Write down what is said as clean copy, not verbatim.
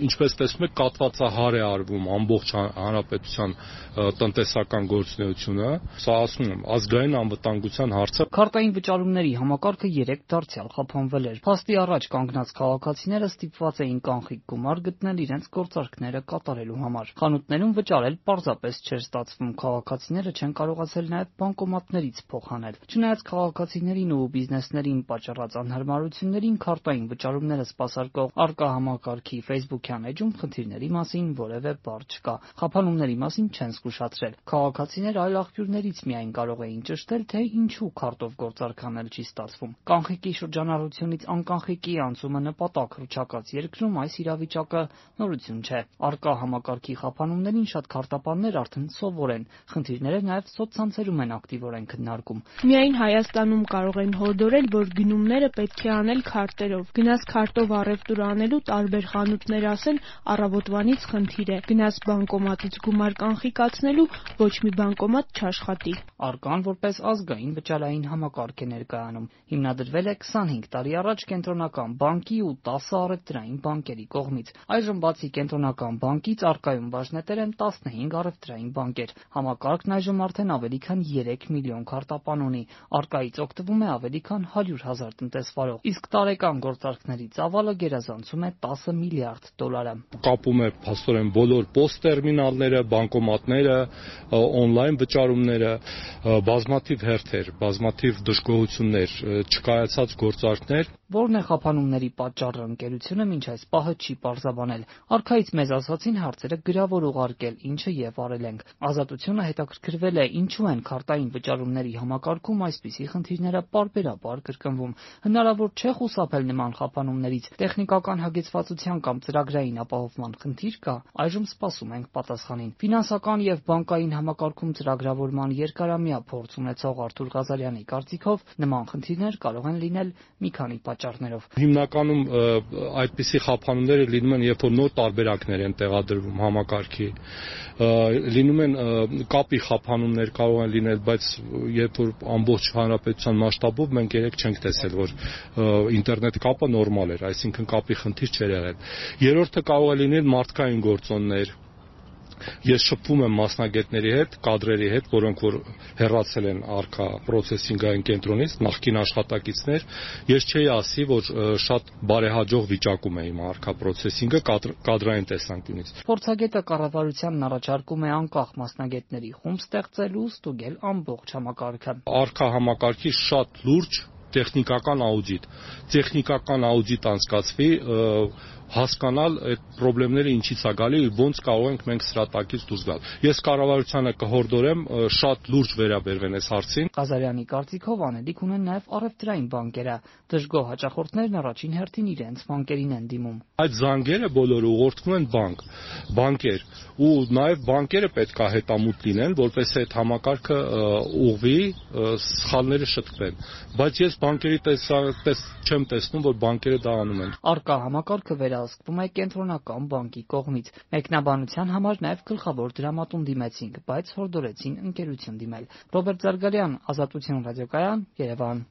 Ինչպես տեսնում եք, կատվածահար է արվում ամբողջ հանրապետության տնտեսական գործունեությունը, սա ասում եմ, ազգային անվտանգության հարց է։ Քարտային վճարումների համակարգը 3 դարձյալ խափանվել էր։ Փաստի առաջ կանգնած քաղաքացիները ստիպված էին կանխիկ գումար գտնել իրենց գործարքները կատարելու համար։ Խանութներում վճարել պարզապես չէր ստացվում, քաղաքացիները չեն կարողացել նաև բանկոմատներից փող հանել։ Չնայած քաղաքացիներին ու բիզնեսներին պատճառած անհարմարություններին, քարտային վճարումները սպասարկող առկա համակարգի Facebook-յան էջում խնդիրների մասին որևէ բառ չկա։ Խափանումների մասին չեն զգուշացրել։ Քաղաքացիները այլ աղբյուրներից միայն կարող էին ճշտել, թե ինչու քարտով գործարք անել չի ստացվում։ Կանխիկի շրջանառությունից անկանխիկի անցումը նպատակ հռչակած երկրում այս իրավիճակը նորություն չէ։ Առկա համակարգի խափանումներին շատ քարտապաններ արդեն սովոր են։ Խնդիրները նաև սոցցանցերում են ակտիվորեն քննարկում։ Միայն Հայաստանում կարող են հորդորել, որ գնումները պետք է անել քարտերով։ Գնաս քարտով առևտուր անելու տարբեր խանութներ ասեն առավոտվանից խնդիր է։ Գնաս բանկոմատից գումար կանխիկացնելու ոչ մի բանկոմատ չաշխատի։ Արկան որպես ազգային վճարային համակարգ է ներկայանում։ Հիմնադրվել է 25 տարի առաջ Կենտրոնական բանկի ու 10 առևտրային բանկերի կողմից։ Այժմ բացի Կենտրոնական բանկից առկայում բաժնետեր են 15 առևտրային բանկեր։ Համակարգն այժմ արդեն ավելի քան 3 միլիոն քարտապան ունի։ Առկայից օգտվում է ավելի քան 100,000 տնտեսվարող։ Իսկ տարեկան գործարքների ծավալը գերազանցում է 10 միլիարդ դոլարը։ Կապում է փաստորեն բոլոր POS բանկոմատները, on-line վճարումները, բազմաթիվ հերթեր, բազմաթիվ դժգոհություններ, չկայացած գործարքներ։ Որն է խափանումների պատճառը, ընկերությունը մինչ այս պահը չի պարզաբանել։ Արքայից մեզ ասացին հարցերը գրավոր ուղարկել, ինչը եւ արել ենք։ Ազատությունը հետաքրքրվել է, ինչու են քարտային վճարումների համակարգում այսպիսի խնդիրները պարբերաբար կրկնվում։ Հնարավոր չէ խուսափել նման խափանումներից։ Տեխնիկական հագեցվածության կամ ծրագրային ապահովման խնդիր կա։ Այժմ սպասում ենք պատասխանին։ Ֆինանսական եւ բանկային համակարգում ծրագրավորման երկարամյա փորձ ունեցող Արթուր Ղազարյանի կարծիքով նման խնդիրներ կարող են լինել մի քանի պատճառներով։ Հիմնականում այդպիսի խափանումները լինում են, երբ որ նոր տարբերակներ են տեղադրվում համակարգի, լինում են կապի խափանումներ կարող են լինել, բայց երբ որ ամբողջ հանրապետության մասշտաբով մենք երեք չենք տեսել, որ ինտերնետ կապը նորմալ էր, այսինքն կապի խնդիր չէր եղել։ Երրորդը կարող է լինել մարդկային գործոններ։ Ես շփվում եմ մասնագետների հետ, կադրերի հետ, որոնք որ հեռացել են առկա պրոցեսինգային կենտրոնից, նախկին աշխատակիցներ, ես չէի ասի, որ շատ բարեհաջող վիճակում է իմ առկա պրոցեսինգը կադրային տեսանկյունից։ Փորձագետը կառավարությանն առաջարկում է անկախ մասնագետների խումբ ստեղծել ու ստուգել ամբողջ համակարգը։ Առկա համակարգի շատ լուրջ տեխնիկական աուդիտ։ Տեխնիկական աուդիտ անցկացվի, հասկանալ այդ խնդիրները ինչից է գալի, ոնց կարող ենք մենք սրա տակից դուրս գալ։ Ես կառավարությանը կհորդորեմ շատ լուրջ վերաբերվեն այս հարցին։ Ղազարյանի կարծիքով անելիք ունեն նաև առևտրային բանկերը։ Դժգոհ հաճախորդներն առաջին հերթին իրենց բանկերին են դիմում։ Այդ զանգերը բոլորը ուղղորդվում են բանկեր, ու նաև բանկերը պետք է հետամուտ լինեն, որպեսզի այդ համակարգը ուղղվի, սխալները շտկվեն։ Բայց ես բանկերի չեմ տեսնում, որ բանկերը դա անում են։ Առկա համակարգը վերահսկվում է Կենտրոնական բանկի կողմից։ Մեկնաբանության համար նաև գլխավոր դրամատուն դիմեցինք, բայց հորդորեցին ընկերություն դիմել։ Ռոբերտ Զարգարյան, Ազատություն ռադիոկայան, Երևան։